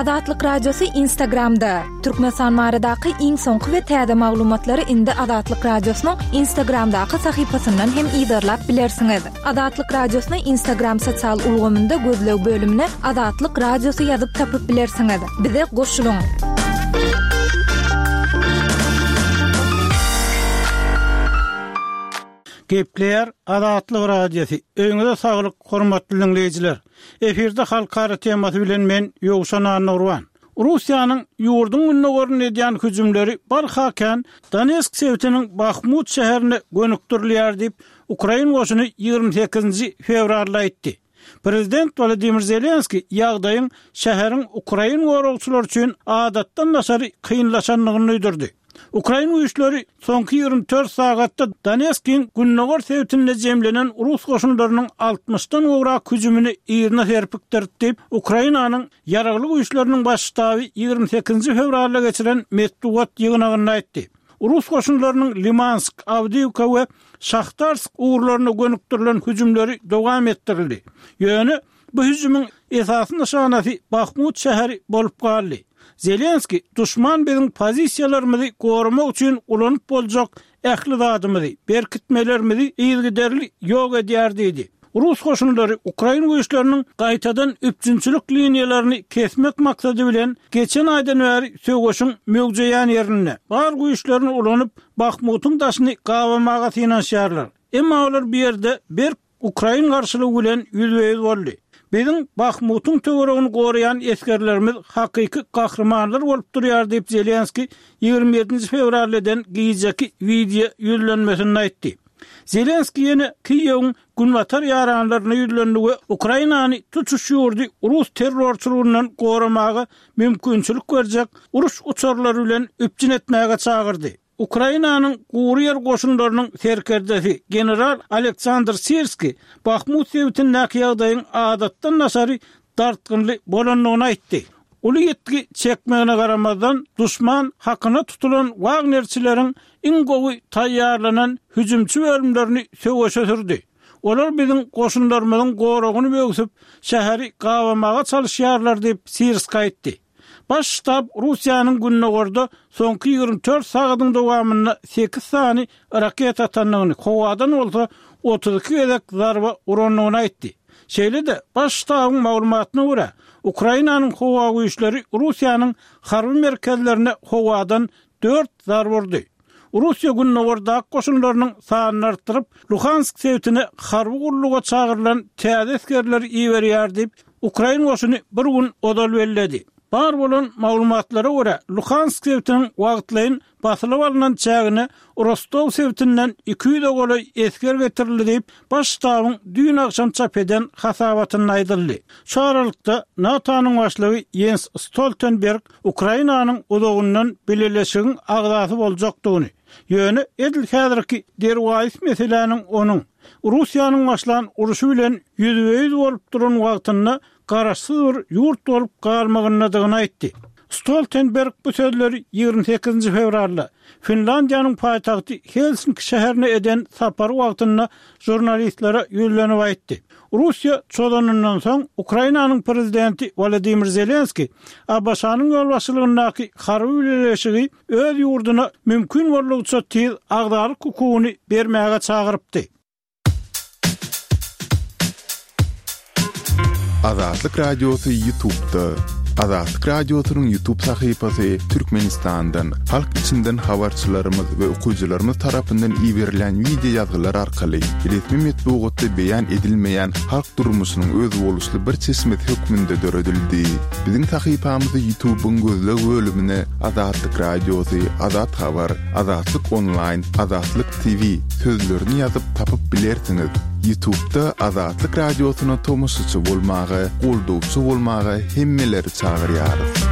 Azatlyk Radiosy Instagramda! Türkmenistan baradaky iň soňky we täze maglumatlary indi Azatlyk Radiosynyň Instagramdaky sahypasyndan hem yzarlap bilersiňiz. Azatlyk Radiosyny Instagram sosial ulgamynda gözleg bölümine Azatlyk Radiosy ýazyp tapyp bilersiňiz. Bize goşulyň! Gepleýär Azatlyk Radiosy. Öýüňize saglyk, hormatly diňleýjiler! Efirde halkara temasy bilen men Ýowşan Annagurban. Russiýanyň ýurduň gündogarynda edýän hüjümleri barha kän Donetsk sebitiniň Bahmut şäherine gönükdirilýär diýip, ukrain goşuny 28-nji fewralda aýtdy. Prezident Wolodymyr Zelenskiý ýagdaýyň şäheriň ukrain goragçylary üçin adatdan daşary kynlaşandygyny duýdurdy. Ukrain güýçleri soňky 24 sagatda Donetskiň gündogar sebitinde jemlenen rus goşunlarynyň altmyşdan gowrak hüjümini yzyna serpikdirdi diýip, Ukrainanyň Ýaragly Güýçleriniň Baş ştaby 28-nji fewralda geçiren metbugat ýygnagynda aýtdy. Rus goşunlarynyň Limansk, Awdiýewka we Şahtarsk ugurlaryna gönükdirilen hüjümleri dowam etdirildi. Ýöne bu hüjümiň esasy nyşanasy Bahmut şäheri bolup galdy. Zelenskiý, Duşman biziň pozisiýalarymyzy goramak üçin ulanyp boljak ähli zadymyzy, berkitmelerimizi yzygiderli ýok edýär diýdi. Rus goşunlary ukrain güýçleriniň gaýtadan üpjünçilik liniýalaryny kesmek maksady bilen geçen aýdan bäri söweşiň möwjeýän ýerinde, bar güýçlerini ulanyp, Bahmutyň daşyny gabamaga synanyşýarlar. Emma olar bu ýerde berk ukrain garşylygy bilen ýüzbe-ýüz boldy. Biziň Bahmutyň töweregini goraýan esgerlerimiz hakyky gahrymanlar bolup durýar diýip, Zelenskiý 27-nji fewralda eden gijeki wideo ýüzlenmesinde aýtdy. Zelenskiý ýene Kiýewiň günbatar ýaranlaryna ýüzlendi we Ukrainany tutuş ýurdy rus terrorçylygyndan goramaga mümkinçilik berjek uruş uçarlary bilen üpjün etmäge çagyrdy. Ukrainanyň gury ýer goşunlarynyň serkerdesi general Aleksandr Sirskiý Bahmut sebitindäki ýagdaýyň adatdan daşary dartgynly bolandygyny aýtdy. Uly ýitgi çekmegine garamazdan, duşman hakyna tutulan wagnerçileriň iň gowy taýýarlanan hüjümçi bölümlerini söweşe sürdi. Olar biziň goşunlarymyzyň goragyny böwsüp, şäheri gabamaga çalyşýarlar diýip, Sirskiý aýtdy. Baş ştab Russiýanyň gündogarda soňky 24 sagadyň dowamynda sekiz sany raketa atandygyny, howadan bolsa 32 gezek zarba urandygyny aýtdy. Şeýle-de, Baş ştabyň maglumatyna görä, Ukrainanyň howa güýçleri Russiýanyň harby merkezlerine howadan dört zarba urdy. Russiýa gündogardaky goşunlarynyň sanyny artdyryp, Luhansk sebitine harby gulluga çagyrylan täze esgerleri iberýär diýip, ukrain goşuny bir gün ozal belledi. Bar bolan maglumatlara görä, Luhansk sebitiniň wagtlaýyn basylyp alnan çägine Rostow sebitinden 200-e golaý esger getirildi diýip, Baş ştabyň düýn agşam çap eden hasabatynda aýdyldy. Şu aralykda, NATO-nyň başlygy Ýens Stoltenberg Ukrainanyň uzagyndan bileleşigiň agzasy boljakdygyny, ýöne edil häzirki derwaýys meseläniň onuň, Russiýanyň başlan urşy bilen ýüzbe-ýüz bolup duran wagtynda garaşsyz bir ýurt bolup galmagyndadygyny aýtdy. Stoltenberg bu sözleri 28-nji fewralda Finlandiýanyň paýtagty Helsinki şäherine eden sapary wagtynda žurnalistlere ýüzlenip aýtdy. Russiýa çozanyndan soň, Ukrainanyň prezidenti Wolodymyr Zelenskiý ABŞ-nyň ýolbaşçylygyndaky harby bileleşigi öz ýurduna mümkin boldugyça tiz agzalyk hukugyny bermäge çagyrypdy. Azatlyk Radiosy Ýutubda. Azatlyk Radiosynyň Ýutub sahypasy Türkmenistandan, halk içinden habarçylarymyz we okyjylarymyz tarapyndan iberilýän wideo ýazgylar arkaly resmi metbugatda beýan edilmeýän halk durmuşynyň özboluşly bir çeşmesi hökmünde döredildi. Biziň sahypamyzy Ýutubyň gözleg bölümine Azatlyk Radiosy, Azat Habar, Azatlyk Onlaýn, Azatlyk TV sözlerini ýazyp tapyp bilersiňiz. Ýutubda Azatlyk Radiosyna tomaşaçy bolmaga, goldawçy bolmaga hemmeleri çagyrýarys.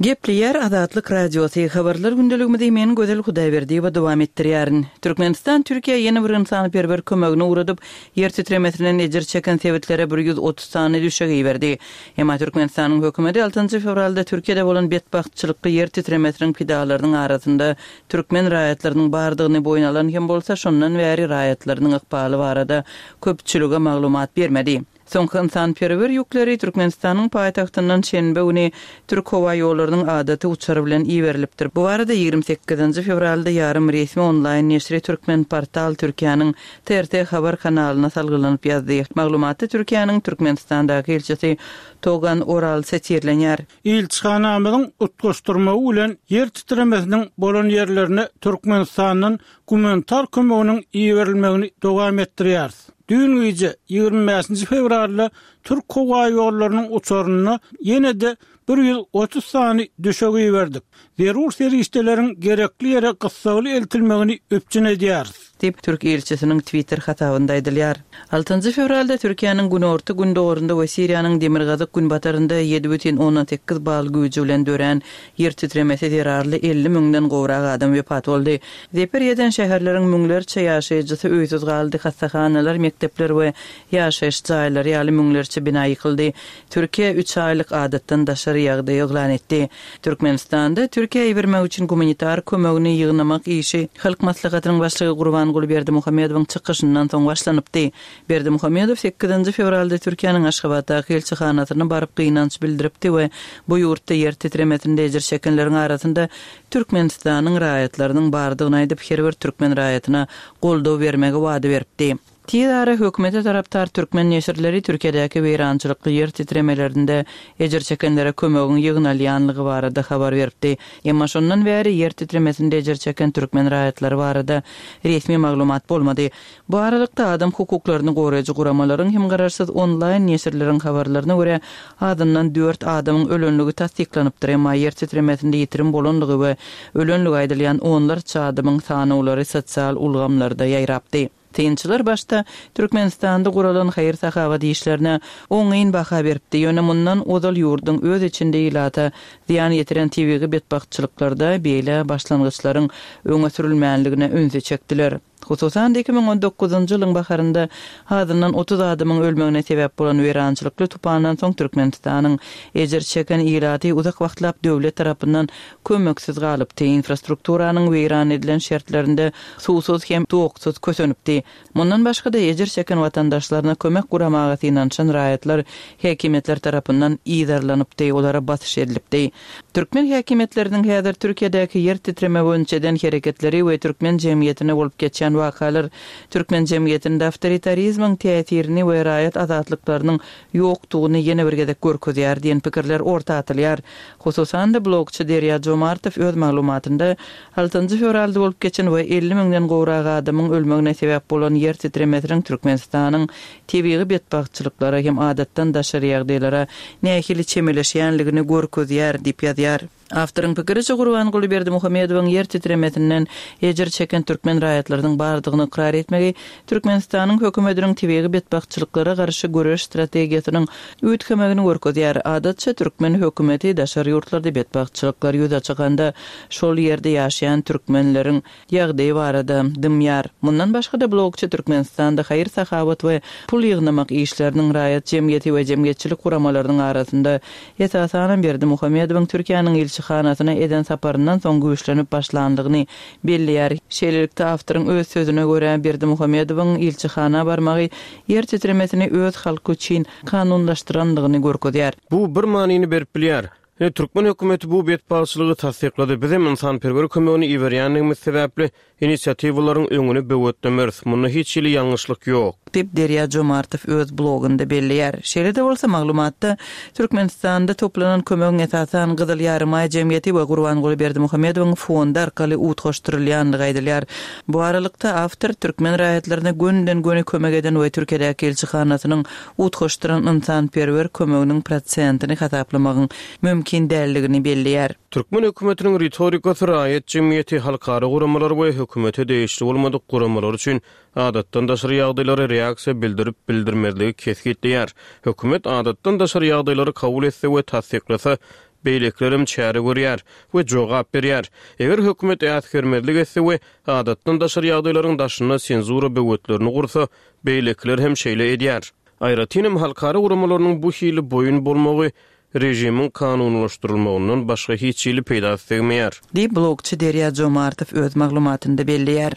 Gepleýär Azatlyk Radiosy, Habarlar gündeligimizi men Gözel Hudaýberdiýewa dowam etdirýärin. Türkmenistan Türkiýä ýene bir ynsanperwer kömegini ugradyp, ýer titremesinden ejir çeken sebitlere 130 sany düşek iberdi. Emma Türkmenistanyň hökümeti altynjy fewralda Türkiýede bolan betbagtçylykly ýer titremesiniň pidalarynyň arasynda türkmen raýatlarynyň bardygyny boýun alan hem bolsa, şondan bäri raýatlarynyň ykbaly barada köpçülige maglumat bermedi. Soňky ynsanperwer ýükleri Türkmenistanyň paýtagtyndan şenbe güni Türk howa ýollarynyň adaty uçary bilen iberilipdir. Bu barada 28-nji fewralda ýarym resmi onlaýn neşiri Türkmenportal Türkiýäniň TRT Haber kanalyna salgylanyp ýazdy. Maglumatda Türkiýäniň Türkmenistandaky ilçisi Togan Oral sitirlenýär. Ilçihanamyzyň utgaşdyrmagy bilen ýer titremesiniň bolan ýerlerine Türkmenistandan gumanitar kömeginiň iberilmegini dowam etdirýäris. Düýn gije, 25-nji fewralda Türk howaýollarynyň uçarynda ýene-de 130 sany düşek iberdik. Zerur serişdeleriň gerekli ýere gyssagly eltilmegini üpjün edýäris. Diýip, türk ilçisiniň Twitter hasabynda aýdylýar. Altynjy fewralda Türkiýäniň günorta-gündogarynda we Siriýanyň demirgazyk-günbatarynda 7,8 bal güýji bilen dörän ýer titremesi zerarly 50 müňden gowrak adam wepat boldy. Zeper ýeten şäherleriň müňlerçe ýaşaýjysy öýsüz galdy, hassahanalar, mekdepler we ýaşaýyş jaýlary ýaly müňlerçe bina ýykyldy. Türkiýe üç aýlyk adatdan daşary ýagdaý yglan etdi. Türkmenistanda Türkiýä ibermek üçin gumanitar kömegini ýygnamak işi Halk Maslahatynyň Başlygy Gurbanguly Berdimuhamedowyň çykyşyndan soň başlanypdy. Berdimuhamedow sekizinji fewralda Türkiýäniň Aşgabatdaky ilçihanasyna baryp gynanç bildiripdi we bu ýurtda ýer titremesinde ejir çekenleriň arasynda Türkmenistanyň raýatlarynyň bardygyny aýdyp, her bir türkmen raýatyna goldaw bermegi wada beripdi. Tiz ara hökümete tarapdar türkmen neşirleri Türkiýedäki weýrançylykly ýer titremelerinde ejir çekenlere kömegiň ýygnalýanlygy barada habar beripdi. Emma şondan bäri ýer titremesinde ejir çeken türkmen raýatlary barada resmi maglumat bolmady. Bu aralykda adam hukuklaryny goraýjy guramalaryň hem garaşsyz onlaýn neşirleriň habarlaryna görä, azyndan dört adamyň ölenligi tassyklanypdyr, emma ýer titremesinde ýitirim bolanlygy we ölenligi aýdylýan onlarça adamyň sanawlary sosial ulgamlarda ýaýrapdy. Synçylar başda Türkmenistanda guralan haýyr-sahawat işlerine oňyn baha beripdi, ýöne mundan ozal ýurduň öz içinde ilata zyýan ýetiren tebigy betbagtçylyklarda beýle başlangyçlaryň öňe sürülmänligine ünsi çekdiler. Hususan-da, 2019-njy ýylyň baharynda azyndan 30 adamyň ölmegine sebäp bolan weýrançylykly tupandan soň Türkmenistanyň ejir çeken ilaty uzak wagtlap döwlet tarapyndan kömeksiz galypdy, infrastrukturanyň weýran edilen şertlerinde suwsuz hem toksuz kösenipdi. Mundan başga-da, ejir çeken watandaşlaryna kömek guramaga synanyşan raýatlar häkimiýetler tarapyndan yzarlanypdy, olara basyş edilipdi. Türkmen häkimiýetleriniň häzir Türkiýedäki ýer titreme boýunça eden hereketleri we türkmen jemgyýetinde bolup geçýän wakalar türkmen jemgyýetinde awtoritarizmiň täsirini we raýat azatlyklarynyň ýokdugyny ýene bir gezek görkezýär diýen pikirler orta atylýar. Hususan-da, blogçy Derýa Jomartow öz maglumatynda altynjy fewralda bolup geçen we 50 müňden gowrak adamyň ölmegine sebäp bolan ýer titremesiniň Türkmenistanyň tebigy betbagtçylyklara hem adatdan daşary ýagdaýlara nähili çemeleşýänligini görkezýär diýip ýazýar. Awtoryň pikiriçe, Gurbanguly Berdimuhamedowyň ýer titremesinden ejir çeken türkmen raýatlarynyň bardygyny ykrar etmegi Türkmenistanyň hökümetiniň tebigy betbagtçylyklara garşy göreş strategiýasynyň üýtgemegini görkezýär. Adatça, türkmen hökümeti daşary ýurtlarda betbagtçylyklar ýüze çykanda, şol ýerde ýaşaýan türkmenleriň ýagdaýy barada dymýar. Mundan başga-da, blogçy Türkmenistanda haýyr-sahawat we pul ýygnamak işleriniň raýat jemgyýeti we jemgyýetçilik guramalarynyň arasynda, esasanam Berdimuhamedowyň Türkiýäniň ilçihanasyna eden saparyndan soň güýçlenip başlandygyny belleýär. Şeýlelikde, awtoryň öz sözüne görä, Berdimuhamedowyň ilçihana barmagy ýer titremesini öz halky üçin kanunlaşdyrandygyny görkezýär. Bu bir manyny berip bilýär. Ine, türkmen hökümeti bu betbagtçylygy tassyklady, bizem ynsanperwer kömegini iberýändigimiz sebäpli, inisiatiwalaryň öňüni böwetlemeris, munda hiç hili ýalňyşlyk ýok. Diýip, Derýa Jomartow öz blogunda belleýär. Şeýle-de bolsa, maglumatda Türkmenistanda toplanan kömegiň esasan Gyzyl Ýarymaý jemgyýeti we Gurbanguly Berdimuhamedowyň fondy arkaly utgaşdyrylýandygy aýdylýar. Bu aralykda, awtor türkmen raýatlaryna gönüden-göni kömek eden we Türkiýedäki ilçihanasynyň utgaşdyran ynsanperwer kömeginiň prosentini hasaplamagyň mümkin däldigini belleýär. Türkmen hökümetiniň ritorikasy raýat jemgyýeti, halkara guramalary we hökümete degişli bolmadyk guramalar üçin adatdan daşary ýagdaýlara reaksiýa bildirip-bildirmezligi kesgitleýär. Hökümet adatdan daşary ýagdaýlary kabul etse we tassyklasa, beýlekilerem çäre görýär we jogap berýär. Eger hökümet äsgermezlik etse we adatdan daşary ýagdaýlaryň daşynda senzura böwetlerini gursa, Beýlekiler hem şeýle edýär. Aýratynam halkara guramalarynyň bu hili boýun bolmagy režimiň kanunylaşdyrylmagyndan başga hiç hili peýdasy degmeýär. Diýip, blogçy Derýa Jomartow öz maglumatynda belleýär.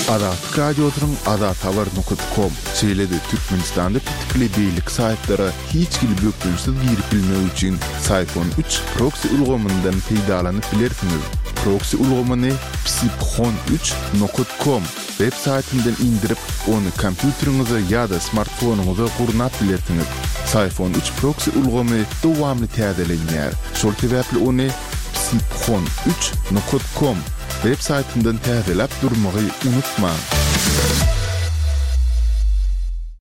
Azatlyk Radiosynyň azathabar nokat kom, şeýle-de Türkmenistanda petikli beýleki saýtlara hiç hili bökdençsiz girip bilmek üçin Syfon üç proksi ulgamyndan peýdalanyp bilersiňiz. Proksi ulgamyny psiphon üç nokat kom web saýtyndan indirip, ony kompýuteriňize ýa-da smartfonyňyza gurnap bilersiňiz. Syfon üç proksi ulgamy dowamly täzelenýär, şol sebäpli ony psiphon üç nokat kom web saýtyndan täzeläp durmagy unutmaň.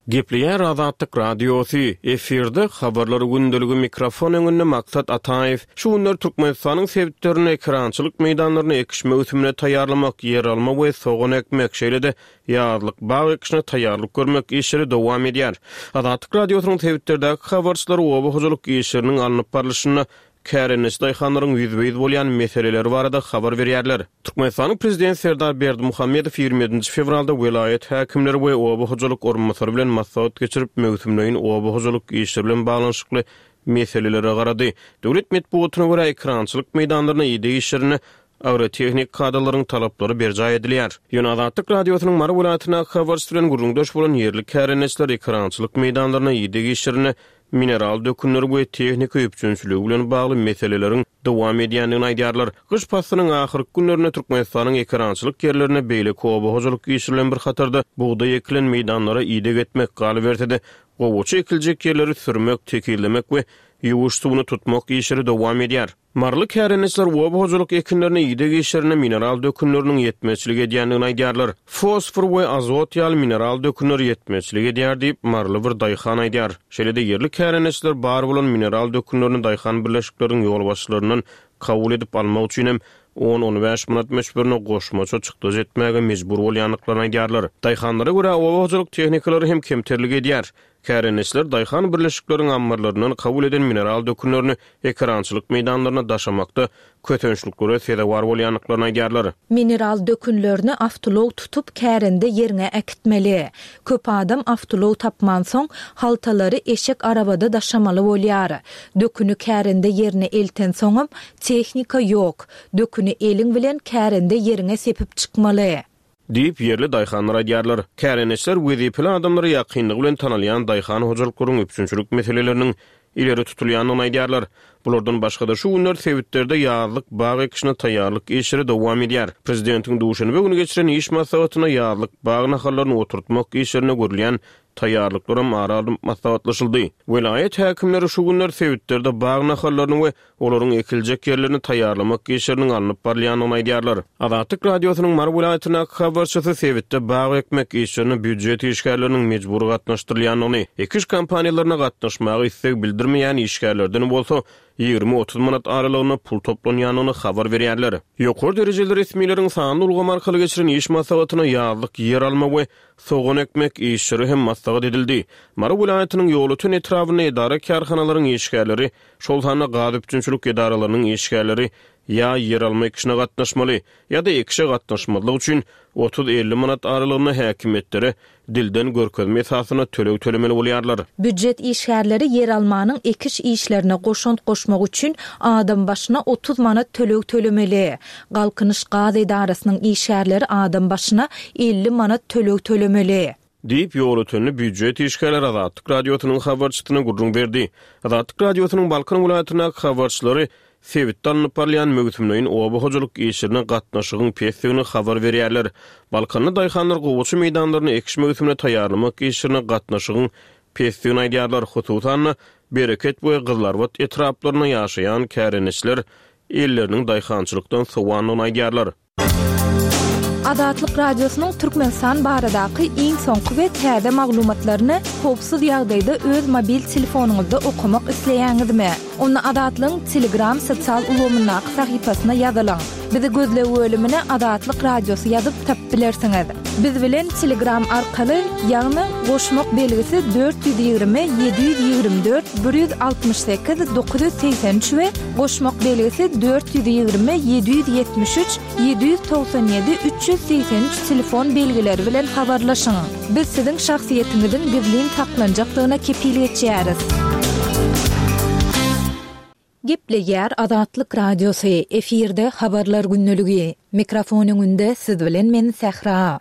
Gepleýär Azatlyk Radiosy, efirde Habarlar gündeligi mikrofon öňünde Maksat Ataýew. Şu günler Türkmenistanyň sebitlerinde ekerançylyk meýdanlaryny ekiş möwsümine taýýarlamak, ýeralma we sogan ekmek, şeýle-de ýazlyk bag ekişine taýýarlyk görmek işleri dowam edýär. Azatlyk Radiosynyň sebitlerdäki habarçylary oba hojalyk işleriniň alnyp barlyşynda kärendeçi daýhanlaryň ýüzbe-ýüz bolýan meseleleri barada habar berýärler. Türkmenistanyň Prezidenti Serdar Berdimuhamedow 27 fewralda welaýat häkimleri we oba hojalyk orunbasary bilen maslahat geçirip, möwsümleýin oba hojalyk işleri bilen baglanyşykly meselelere garady. Döwlet metbugatyna görä, ekerançylyk meýdanlaryna ideg işlerinde agrotehnik kadalaryň talaplary berjaý edilýär. Ýöne Azatlyk Radiosynyň Mary welaýatyndaky habarçysy bilen gürrüňdeş bolan ýerli kärendeçiler ekerançylyk meýdanlaryna ideg işlerinde mineral dökünleri we tehnika üpjünçiligi bilen bagly meseleleriň dowam edýändigini aýdýarlar. Gyş paslynyň ahyrky günlerinde Türkmenistanyň ekerançylyk ýerlerinde beýleki oba hojalyk işleri bilen bir hatarda bugdaý ekilen meýdanlara ideg etmek, galyberse-de, gowaça ekiljek ýerleri sürmek, tekizlemek we ýuwuş suwuny tutmak işleri dowam edýär. Maryly kärendeçiler oba hojalyk ekinlerine ideg işlerinde mineral dökünleriniň ýetmezçilik edýändigini aýdýarlar. Fosfor we azot ýaly mineral dökünler ýetmezçilik edýär diýip, maryly bir daýhan aýdýar. Şeýle-de ýerli kärendeçiler bar bolan mineral dökünlerini daýhan birleşikleriniň ýolbaşçylaryndan kabul edip almak üçin hem on-on bäş manat möçberinde goşmaça çykdajy etmäge mejbur bolýandyklaryny aýdýarlar. Daýhanlara görä, oba hojalyk tehnikalary hem kemterlik edýär. Kärendeçiler daýhan birleşikleriň ammarlaryndan kabul eden mineral dökünlerini ekerançylyk meýdanlaryna daşamakda kösençliklere sezewar bolýandyklaryny aýdýarlar. Mineral dökünlerini awtoulag tutup kärende ýeriňe äkitmeli. Köp adam awtoulag tapmansoň, haltalary eşek arabada daşamaly bolýar. Döküni kärende ýerine eltensoňam, tehnika ýok. Döküni eliň bilen kärende ýeriňe sepip çykmaly. Diýip, ýerli daýhanlar aýdýarlar. Kärendeçiler wezipeli adamlara ýakynlygy bilen tanalýan daýhan hojalyklaryň üpjünçilik meseleleriniň ileri tutulýandygyny aýdýarlar. Bulardan başga-da, şu günler sebitlerde ýazlyk bag ekişine taýýarlyk işleri dowam edýär. Prezidentiň duşenbe güni geçiren iş maslahatynda ýazlyk bag nahallaryny oturtmak işlerine görülýän taýýarlyklaram ara alnyp maslahatlaşyldy. Welaýat häkimleri şu günler sebitlerde bag nahallaryny we olaryň ekiljek ýerlerini taýýarlamak işleriniň alnyp barylýandygyny aýdýarlar. Azatlyk Radiosynyň Mary welaýatyndaky habarçysy sebitde bag ekmek işlerine býujet işgärleriniň mejbury gatnaşdyrylýandygyny, ekiş kampaniýalaryna gatnaşmaga isleg bildirmeýän işgärlerden bolsa 20-30 manat aralygynda pul toplanýandygyny habar berýärler. Ýokary derejeli resmileriň sanly ulgam arkaly geçiren iş maslahatyna ýazlyk ýer alma we sogan ekmek işleri hem maslahat edildi. Mary welaýatynyň Ýolöten etrabynda edara-kärhanalaryň işgärleri şol sanda gaz üpjünçilik edaralarynyň işgärleri ýa ýeralma ekişine gatnaşmaly, ýa-da ekişe gatnaşmazlyk üçin otuz-elli manat aralygynda häkimiýetlere dilden görkezme esasynda töleg tölemeli bolýarlar. Býujet işgärleri ýeralmanyň ekiş işlerine goşant goşmak üçin adam başyna 30 manat töleg tölemeli. Galkynyş gaz edarasynyň işgärleri adam başyna 50 manat töleg tölemeli. Diýip, ýolötenli býujet işgärleri Azatlyk Radiosynyň habarçysyna gürrüň berdi. Azatlyk Radiosynyň Balkan welaýatyndaky habarçylary sebitde alnyp barylýan möwsümleýin oba hojalyk işlerine gatnaşygyň pesdigini habar berýärler. Balkanly daýhanlar gowaça meýdanlaryny ekiş möwsümine taýýarlamak işlerine gatnaşygyň pesdigini aýdýarlar. Hususan-da, Bereket we Gyzylarbat etraplarynda ýaşaýan kärendeçiler elleriniň daýhançylykdan sowandygyny aýdýarlar. Azatlyk Radiosynyň Türkmenistan baradaky iň soňky we täze maglumatlaryny howpsuz ýagdaýda öz mobil telefonyňyzda okamak isleýäňizmi? Onda Azatlygyň Telegram sosial ulgamyndaky sahypasyna ýazylyň. Bizi gözleg bölümine Azatlyk Radiosy ýazyp tapyp bilersiňiz. Biz bilen Telegram arkaly, ýagny goşmak belgisi 420 724 168 983 we Goşmak belgisi 420 773 797 383 telefon belgileri bilen habarlaşyň. Biz siziň şahsyýetiňiziň gizlin saklanjakdygyna kepil geçýäris. Gepleýär Azatlyk Radiosy, efirde Habarlar gündeligi. Mikrofon öňünde siz bilen men Sähra.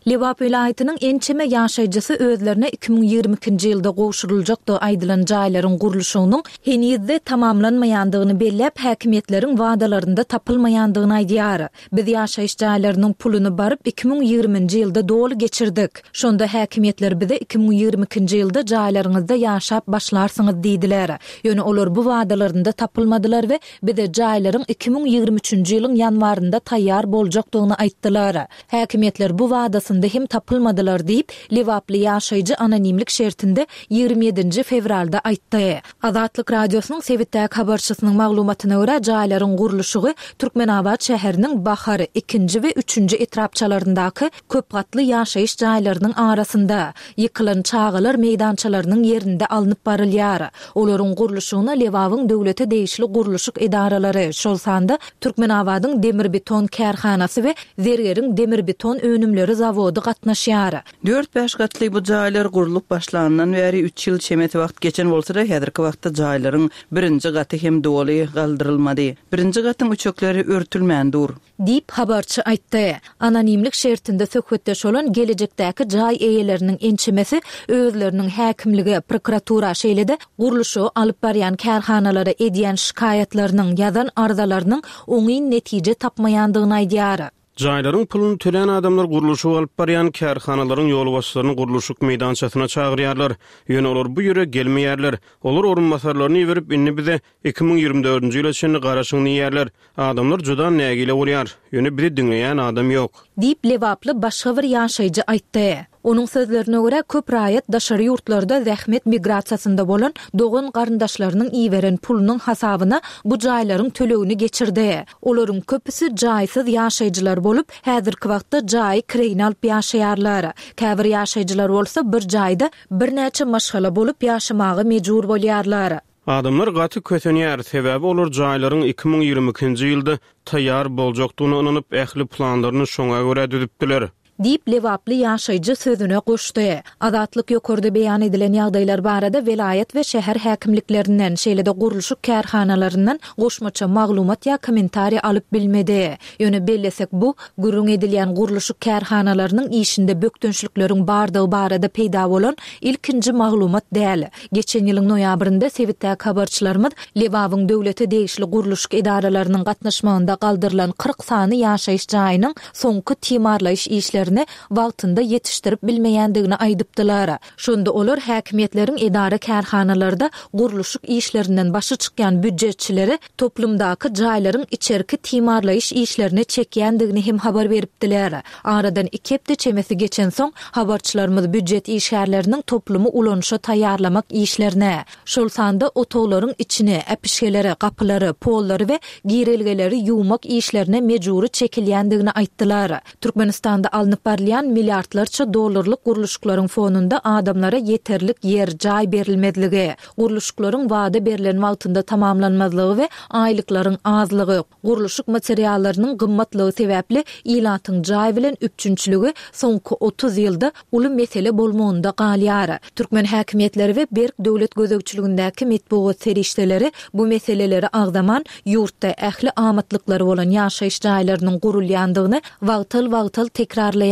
Lebap welaýatynyň ençeme ýaşaýjysy özlerine 2022-nji ýylda gowşuryljakdygy aýdylan jaýlaryň gurluşygynyň heniz-de tamamlanmaýandygyny belläp, häkimiýetleriň wadalarynda tapylmaýandygyny aýdýar. Biz ýaşaýyş jaýlarynyň puluny baryp 2020-nji ýylda doly geçirdik. Şonda häkimiýetler bize 2022-nji ýylda jaýlaryňyzda ýaşap başlarsyňyz diýdiler. Ýöne olar bu wadalarynda tapylmadylar we bize jaýlaryň 2023-nji ýylyň ýanwarynda taýýar boljakdygyny aýtdylar. Häkimiýetler bu wadasynda hem tapylmadylar diýip, lebaply ýaşaýjy anonimlik şertinde 27-nji fewralda aýtdy. Azatlyk Radiosynyň sebitdäki habarçysynyň maglumatyna görä, jaýlaryň gurluşygy Türkmenabat şäheriniň Bahar, ikinji we üçünji etrapçalaryndaky köp gatly ýaşaýyş jaýlarynyň arasynda, ýykylan çagalar meýdançalarynyň ýerinde alnyp barylýar. Olaryň gurluşygyna Lebabyň döwlete degişli gurluşyk edaralary, şol sanda Türkmenabadyň demirbeton kärhanasy we Zergeriň demirbeton önümleri zawody gatnaşýar. Dört-bäş gatly bu jaýlar gurlup başlanyndan bäri üç ýyl çemesi wagt geçen bolsa-da, häzirki wagtda jaýlaryň birinji gaty hem doly galdyrylmady. Birinji gatyň üçekleri örtülmän dur. Diýip, habarçy aýtdy. Anonimlik şertinde söhbetdeş bolan gelejekdäki jaý eýeleriniň ençemesi özleriniň häkimlige, prokuratura, şeýle-de gurluşygy alyp barýan kärhanalara edýän şikaýatlarynyň, ýazan arzalarynyň oňyn netije tapmaýandygyny aýdýar. Jaýlaryň puluny tölän adamlar gurluşygy alyp barýan kärhanalaryň ýolbaşçylaryny gurluşyk meýdançasyna çagyrýarlar. Ýöne olar bu ýere gelmeýärler. Olar orunbasarlaryny iberip, indi bize 2024-nji ýyla çenli garaşyň diýýärler. Adamlar juda nägile bolýar. Ýöne bizi diňleýän adam ýok. Diýip, lebaply başga bir ýaşaýjy aýtdy. Onuň sözlerine görä, köp raýat daşary ýurtlarda zähmet migrasiýasynda bolan dogan-garyndaşlarynyň iberen pulunyň hasabyna bu jaýlaryň tölegini geçirdi. Olaryň köpüsi jaýsyz ýaşaýjylar bolup, häzirki wagtda jaýy kireýine alyp ýaşaýarlar. Käbir ýaşaýjylar bolsa bir jaýda birnäçe maşgala bolup ýaşamaga mejbur bolýarlar. Adamlar gaty kösenýär, sebäbi olar jaýlaryň 2022-nji ýylda taýýar boljakdygyna ynanyp, ähli planlaryny şoňa görä düzüpdiler. Diýip, lebaply ýaşaýjy sözüne goşdy. Azatlyk ýokarda beýan edilen ýagdaýlar barada welaýat we şäher häkimliklerinden, şeýle-de gurluşyk kärhanalaryndan goşmaça maglumat ýa kommentariý alyp bilmedi. Ýöne bellesek, bu, gürrüň edilýän gurluşyk kärhanalarynyň işinde bökdençlikleriň bardygy barada peýda bolan ilkinji maglumat däl. Geçen ýylyň noýabrynda sebitdäki habarçylarymyz Lebabyň döwlete degişli gurluşyk edaralarynyň gatnaşmagynda galdyrylan 40 sany ýaşaýyş jaýynyň soňky timarlaýyş işlerini wagtynda ýetişdirip bilmeýändigini aýdypdylar. Şonda olar häkimiýetleriň edara-kärhanalarda gurluşyk işlerinden başy çykýan býujetçileri toplumdaky jaýlaryň içerki timarlaýyş işlerine çekýändigini hem habar beripdiler. Aradan iki hepde çemesi geçensoň, habarçylarymyz býujet işgärleriniň toplumy ulanyşa taýýarlamak işlerine, şol sanda otaglaryň içini, äpişgeleri, gapylary, pollary we girelgeleri ýuwmak işlerine mejbury çekilýändigini aýtdylar. Türkmenistanda alnyp barylýan milliardlarça dollarlyk gurluşyklaryň fonunda adamlara ýeterlik ýer, jaý berilmezligi, gurluşyklaryň wada berlen wagtynda tamamlanmazlygy we aýlyklaryň azlygy, gurluşyk materiallarynyň gymmatlygy sebäpli ilatyň jaý bilen üpjünçiligi soňky 30 ýylda uly mesele bolmagynda galýar. Türkmen häkimiýetleri we berk döwlet gözegçiligindäki metbugat serişdeleri bu meseleleri agzaman, ýurtda ähli amatlyklary bolan ýaşaýyş jaýlarynyň gurulýandygyny wagtal-wagtal tekrarlaýarlar.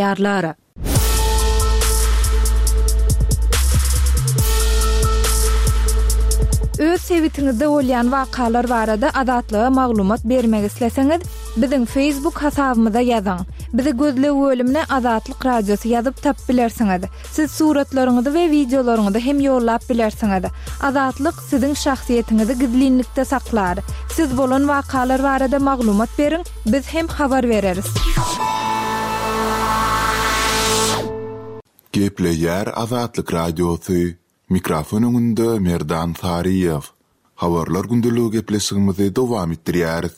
Öz sebitiňizde bolýan wakalar barada Azatlyga maglumat bermek isleseňiz, biziň Facebook hasabymyza ýazyň. Bizi gözleg bölümine Azatlyk Radiosy ýazyp tapyp bilersiňiz. Siz suratlaryňyzy we wideolaryňyzy hem ýollap bilersiňiz. Azatlyk siziň şahsyýetiňizi gizlinlikde saklar. Siz bolan wakalar barada maglumat beriň, biz hem habar bereris. Gepleýär Azatlyk Radiosy, Mikrofon öňünde Merdan Saryýew. Habarlar gündeligi gepleşigimizi dowam etdirýäris.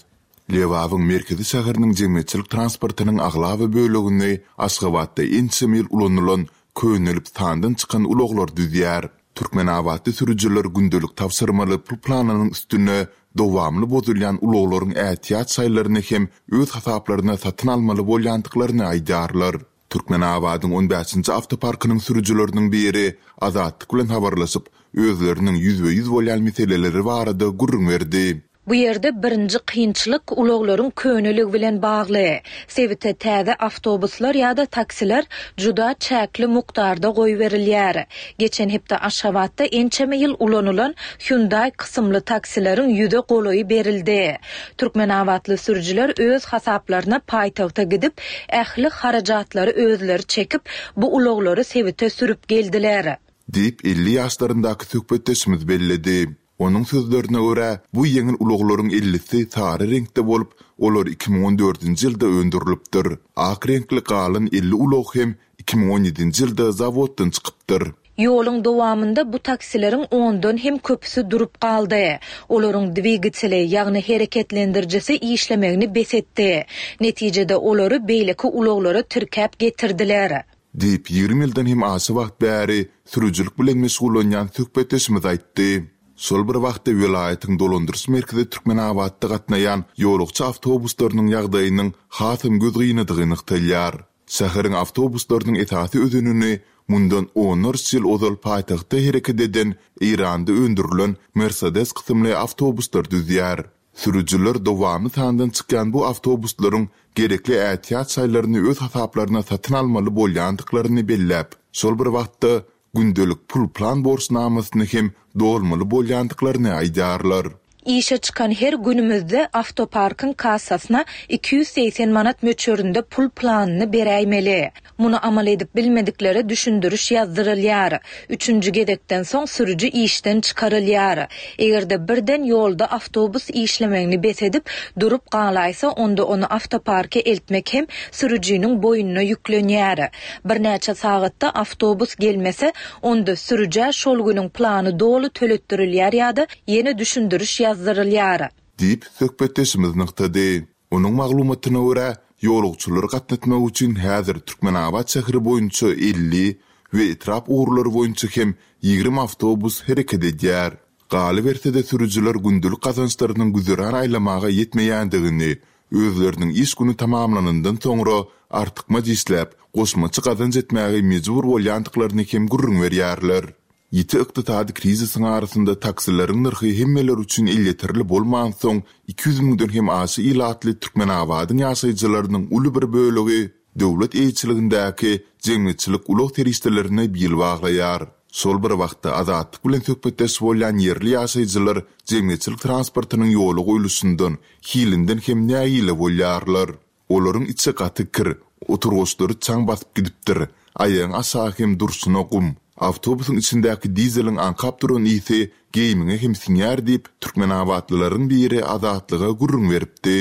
Lebabyň merkezi şäheriniň jemgyýetçilik transportynyň aglaba bölegini Aşgabatda ençeme ýyl ulanylan, könelip sandan çykan ulaglar düzýär. Türkmenabatly sürüjiler gündelik tabşyrmaly pul planynyň üstüne dowamly bozulýan ulaglaryň ätiýaç şaýlaryny hem öz hasaplaryna satyn almaly bolýandyklaryny aýdýarlar. Türkmenabadyň on bäşinji awtoparkynyň sürüjileriniň biri Azatlyk bilen habarlaşyp, özleriniň ýüzbe-ýüz bolýan meseleleri barada gürrüň berdi. Bu ýerde birinji kynçylyk ulaglaryň köneligi bilen bagly. Sebite täze awtobuslar ýa-da taksiler juda çäkli mukdarda goýberilýär. Geçen hepde Aşgabatda ençeme ýyl ulanylan Hyundai kysymly taksileriň ýüze golaýy berildi. Türkmenabatly sürüjiler öz hasaplaryna paýtagta gidip, ähli harajatlary özleri çekip, bu ulaglary sebite sürüp geldiler. Diýip, 50 ýaşlaryndaky söhbetdeşimiz belledi. Onuň sözlerine görä, bu ýeňil ulaglaryň ellisi sary reňkde bolup, olar 2014-nji ýylda öndürilipdir. Ak reňkli galan 50 ulag hem 2017-nji ýylda zawoddan çykypdyr. Ýoluň dowamynda bu taksileriň ondan hem köpüsi durup galdy. Olaryň dwigateli, ýagny hereketlendirijisi işlemegini bes etdi. Netijede olary beýleki ulaglara tirkäp getirdiler. Diýip, 20 ýyldan hem aşa wagt bäri sürüjilik bilen meşgullanýan söhbetdeşimiz aýtdy. Şol bir wagtda welaýatyň dolandyryş merkezi Türkmenabatda gatnaýan ýolagçy awtobuslarynyň ýagdaýynyň hasam gözgynydygy nygtalýar. Şäheriň awtobuslarynyň esasy özenini mundan onlarça ýyl ozal paýtagtda hereket eden Eýranda öndürilen Mersedes kysymly awtobuslar düzýär. Sürüjiler dowamly sandan çykýan bu awtobuslaryň gerekli ätiýaç şaýlaryny öz hasaplaryna satyn almaly bolýandyklaryny belläp, şol bir wagtda gündelik pul-plan borçnamasyny hem dolmaly bolýandyklaryny aýdýarlar. Işe çykan her günümizde awtoparkyň kassasyna 280 manat möçberinde pul planyny beräýmeli. Muny amal edip bilmediklere düşündiriş ýazdyrylýar. Üçünji gezekden soň sürüji işden çykarylýar. Eger-de birden ýolda awtobus işlemegini bes edip, durup galaýsa, onda ony awtoparka eltmek hem sürüjiniň boýnuna ýüklenýär. Birnäçe sagatda awtobus gelmese, onda sürüjä şol günüň plany doly töletdirilýär ýa-da ýene düşündiriş ýazdyrylýar. Diýip, söhbetdeşimiz nygtady. Onuň maglumatyna görä, ýolagçylary gatnatmak üçin häzir Türkmenabat şäheri boýunça 50 we etrap ugurlary boýunça hem 20 awtobus hereket edýär. Galyberse-de, sürüjiler gündelik gazançlarynyň güzeran aýlamaga ýetmeýändigini, özleriniň iş güni tamamlanandan soňra artykmaç işläp, goşmaça gazanç etmäge mejbur bolýandyklaryny hem gürrüň berýärler. Ýiti ykdysady krizisiň arasynda taksileriň nyrhy hemmeler üçin elýeterli bolmansoň, 200 müňden hem aşa ilatly Türkmenabadyň ýaşaýjylarynyň uly bir bölegi döwlet eýeçiligindäki jemgyýetçilik ulag serişdelerine bil baglaýar. Şol bir wagtda, Azatlyk bilen söhbetdeş bolýan ýerli ýaşaýjylar jemgyýetçilik transportynyň ýola goýluşyndan, hilinden hem nägile bolýarlar. Olaryň içi gaty kir, oturgyçlary çaň basyp gidipdir, aýagyň aşagy hem durşuna gum. Awtobusyň içindäki dizeliň aňkap duran ysy geýimiňe hem siňýär diýip, türkmenabatlylaryň biri Azatlyga gürrüň beripdi.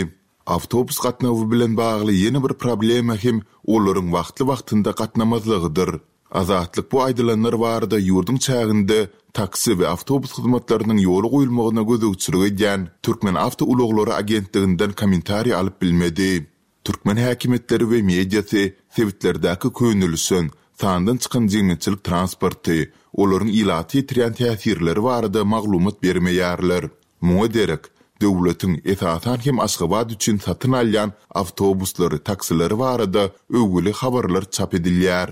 Awtobus gatnawy bilen bagly ýene bir problema hem olaryň wagtly-wagtynda gatnamazlygydyr. Azatlyk bu aýdylanlar barada ýurduň çäginde taksi we awtobus hyzmatlarynyň ýola goýulmagyna gözegçilik edýän Türkmenawtoulaglary agentliginden kommentariý alyp bilmedi. Türkmen häkimiýetleri we mediasy sebitlerdäki könelişen, sandan çykan jemgyýetçilik transporty, olaryň ilata ýetirýän täsirleri barada maglumat bermeýärler. Muňa derek, döwletiň, esasan hem Aşgabat üçin satyn alýan awtobuslary, taksileri barada öwgüli habarlar çap edilýär.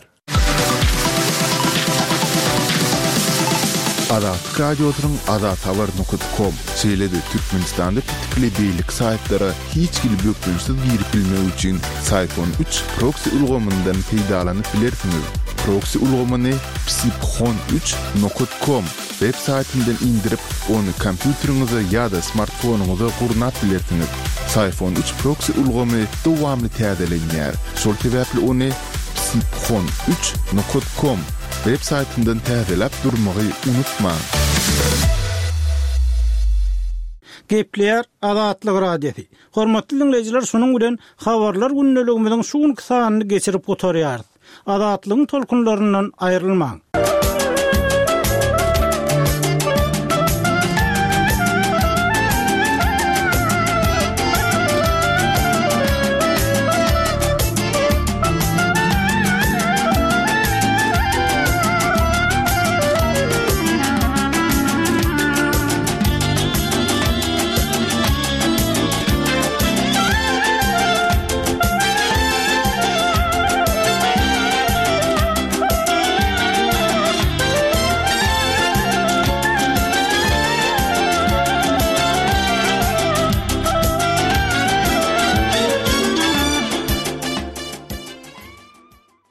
Azatlyk Radiosynyň Azathabar nokat kom, şeýle-de Türkmenistanda petikli beýleki saýtlara hiç hili bökdençsiz girip bilmek üçin Syfon üç proksi ulgamyndan peýdalanyp bilersiňiz. Proksi ulgamyny psiphon üç nokat kom Web saýtyndan indirip, ony kompýuteriňize ýa-da smartfonyňyza gurnap bilersiňiz. Syfon üç proksi ulgamy dowamly täzelenýär, şol sebäpli ony psiphon üç nokat kom web saýtyndan täzeläp durmagy unutmaň. Gepleýär Azatlyk Radiosy. Hormatly diňleýjiler şunuň bilen Habarlar gündeligimiziň şu günki sanyny geçirip gutarýarys. Azatlygyň tolkunlaryndan aýrylmaň!